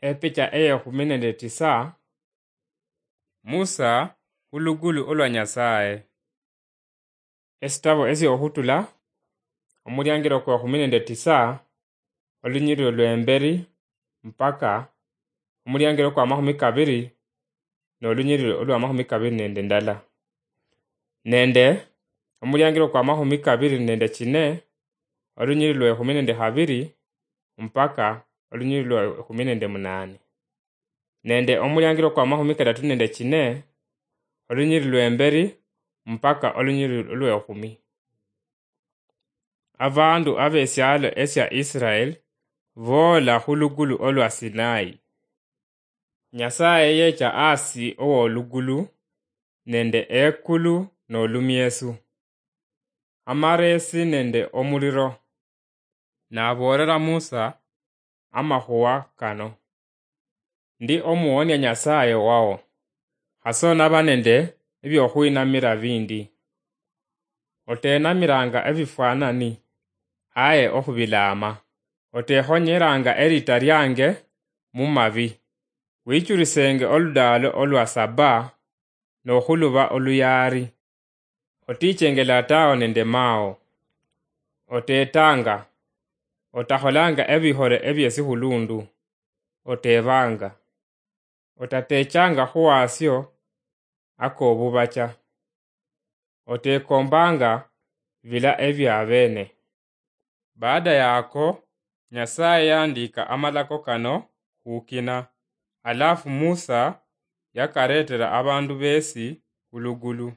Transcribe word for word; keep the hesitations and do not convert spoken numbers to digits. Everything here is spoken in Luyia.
Epicha eyekhumi nende tisa. Musa khulugulu olwa Nyasaye. Esitabo esiokhutula, omuliangiro kwekhumi nende tisa, olunyiriro lwemberi mpaka omuliangiro kwamakhumi kabiri nolunyiriro olwamakhumi kabiri nende ndala, nende omuliangiro kwamakhumi kabiri nende chine, olunyiriri lwekhumi nende khabiri mpaka olunyiriri lwekhumi nende munane, nende omuliangiro kwamakhumi kadatu nende chine, olunyiriri lwemberi mpaka olunyiriri lwekhumi. Abandu abesialo esia Israel boola khulugulu olwa Sinai. Nyasaye yecha asi owolugulu nende ekulu nolumiesu, amaresi nende omuliro. Naboolera Musa amakhuwa kano: Ndi omuwonia Nyasaye wao, khasonaba nende ebiokhwinamira bindi. Otenamiranga ebifwanani, aye okhubilaama. Otekhonyeranga erita liange mumabi. Wichurisenge oludaalo olwa saba nokhuluba oluyaari. Otichenge latao nende mao. Otetanga. Otakholanga ebihole ebiesikhulundu. Otebanga. Otatechanga khuwasio akobubacha. Otekombanga bila ebia abene. Baada yako, Nyasaye yandika amalako kano khukina, alafu Musa yakaretera abandu besi khulugulu.